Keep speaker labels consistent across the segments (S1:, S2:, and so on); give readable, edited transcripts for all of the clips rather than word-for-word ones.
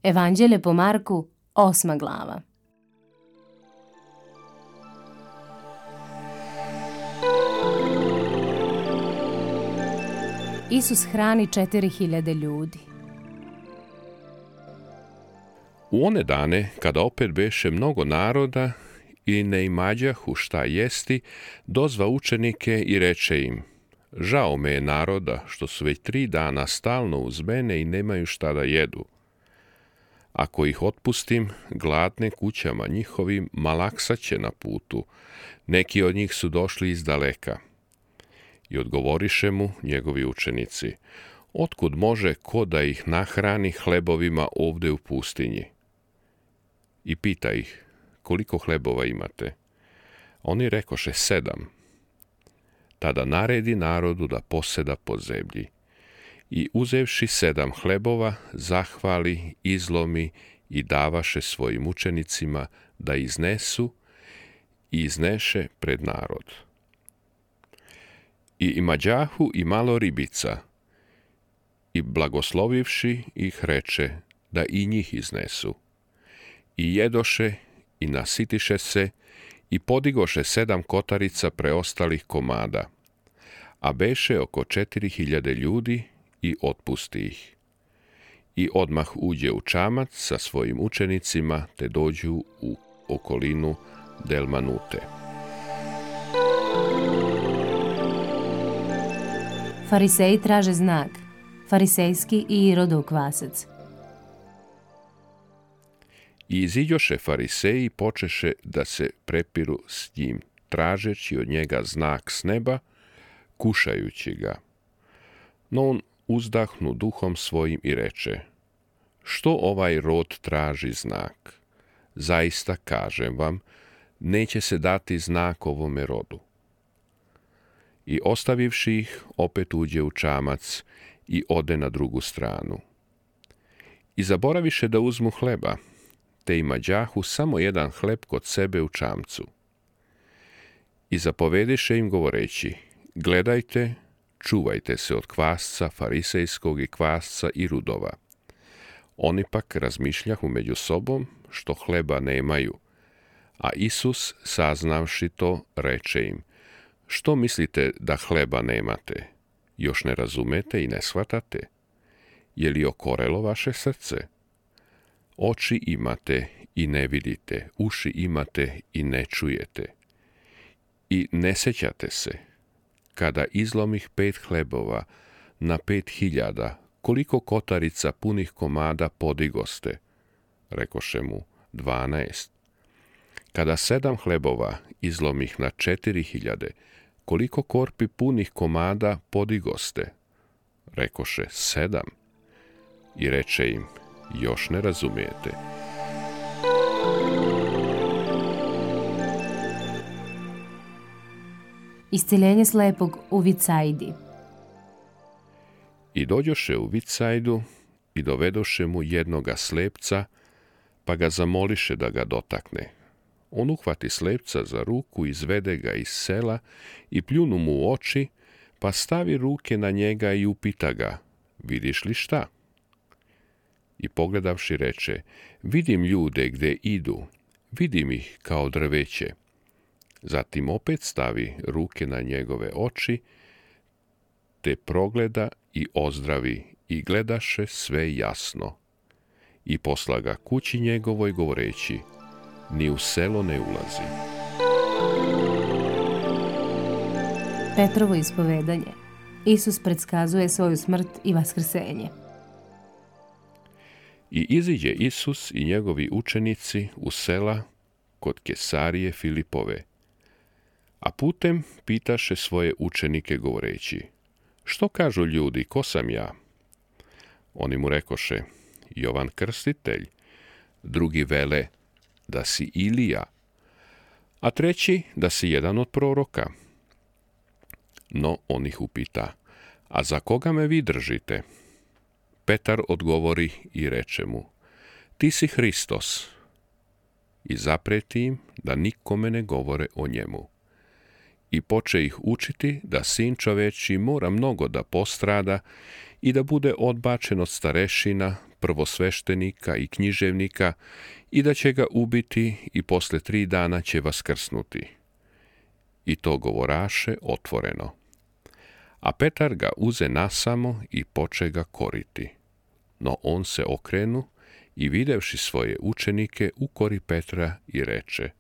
S1: Evanđelje po Marku, 8. glava. Isus hrani 4000 ljudi.
S2: U one dane, kada opet beše mnogo naroda i ne imađahu šta jesti, dozva učenike i reče im: žao me je naroda, što su već 3 dana stalno uz mene i nemaju šta da jedu. Ako ih otpustim, gladne kućama njihovim malaksaće na putu, neki od njih su došli iz daleka. I odgovoriše mu njegovi učenici: otkud može ko da ih nahrani hlebovima ovde u pustinji? I pita ih: koliko hlebova imate? Oni rekoše: 7. Tada naredi narodu da poseda po zemlji. I uzevši 7 hlebova, zahvali, izlomi i davaše svojim učenicima da iznesu, i izneše pred narod. I imađahu i malo ribica, i blagoslovivši ih reče da i njih iznesu. I jedoše i nasitiše se i podigoše 7 kotarica preostalih komada, a beše oko 4000 ljudi, i otpusti ih. I odmah uđe u čamac sa svojim učenicima, te dođu u okolinu Delmanute.
S1: Fariseji traže znak, farisejski i Irodov kvasac.
S2: I iziđoše fariseji, počeše da se prepiru s njim, tražeći od njega znak s neba, kušajući ga. No on uzdahnu duhom svojim i reče: što ovaj rod traži znak? Zaista kažem vam, neće se dati znak ovome rodu. I ostavivši ih, opet uđe u čamac i ode na drugu stranu. I zaboraviše da uzmu hleba, te imađahu samo 1 hleb kod sebe u čamcu. I zapovediše im govoreći: gledajte, čuvajte se od kvasca farisejskog i kvasca Irudova. Oni pak razmišljahu među sobom, što hleba nemaju. A Isus, saznavši to, reče im: što mislite da hleba nemate? Još ne razumete i ne shvatate? Je li okorelo vaše srce? Oči imate i ne vidite, uši imate i ne čujete. I ne sećate se, kada izlomih 5 hlebova na 5000, koliko kotarica punih komada podigoste? Rekoše mu: 12. Kada 7 hlebova izlomih na 4000, koliko korpi punih komada podigoste? Rekoše: 7. I reče im: još ne razumijete.
S1: Isceljenje slepog u Vicajdi.
S2: I dođoše u Vicajdu i dovedoše mu jednoga slepca, pa ga zamoliše da ga dotakne. On uhvati slepca za ruku, izvede ga iz sela i pljunu mu u oči, pa stavi ruke na njega i upita ga: vidiš li šta? I pogledavši reče: vidim ljude gde idu, vidim ih kao drveće. Zatim opet stavi ruke na njegove oči, te progleda i ozdravi, i gledaše sve jasno. I posla ga kući njegovoj govoreći: ni u selo ne ulazi.
S1: Petrovo ispovedanje. Isus predskazuje svoju smrt i vaskrsenje.
S2: I iziđe Isus i njegovi učenici u sela kod Kesarije Filipove. A putem pitaše svoje učenike govoreći: što kažu ljudi, ko sam ja? Oni mu rekoše: Jovan Krstitelj. Drugi vele da si Ilija, a treći da si jedan od proroka. No on ih upita: a za koga me vi držite? Petar odgovori i reče mu: ti si Hristos. I zapreti im da nikome ne govore o njemu. I poče ih učiti da sin čoveči mora mnogo da postrada i da bude odbačen od starešina, prvosveštenika i književnika i da će ga ubiti i posle 3 dana će vaskrsnuti. I to govoraše otvoreno. A Petar ga uze nasamo i poče ga koriti. No on se okrenu i videvši svoje učenike ukori Petra i reče: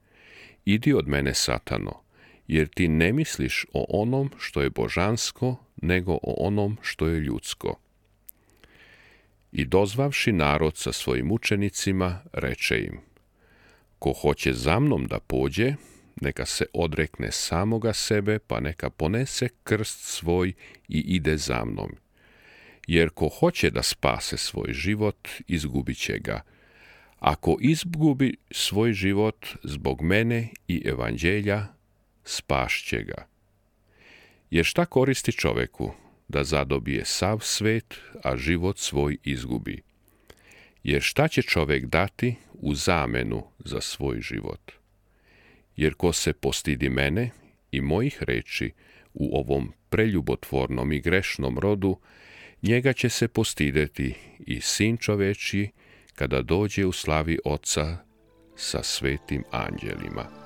S2: Idi od mene, Satano, jer ti ne misliš o onom što je božansko, nego o onom što je ljudsko. I dozvavši narod sa svojim učenicima, reče im: Ko hoće za mnom da pođe, neka se odrekne samoga sebe, pa neka ponese krst svoj i ide za mnom. Jer ko hoće da spase svoj život, izgubit će ga. Ako izgubi svoj život zbog mene i evanđelja, spašće ga. Jer šta koristi čoveku da zadobije sav svet, a život svoj izgubi? Jer šta će čovek dati u zamenu za svoj život? Jer ko se postidi mene i mojih reči u ovom preljubotvornom i grešnom rodu, njega će se postideti i Sin čovečji kada dođe u slavi Oca sa svetim anđelima.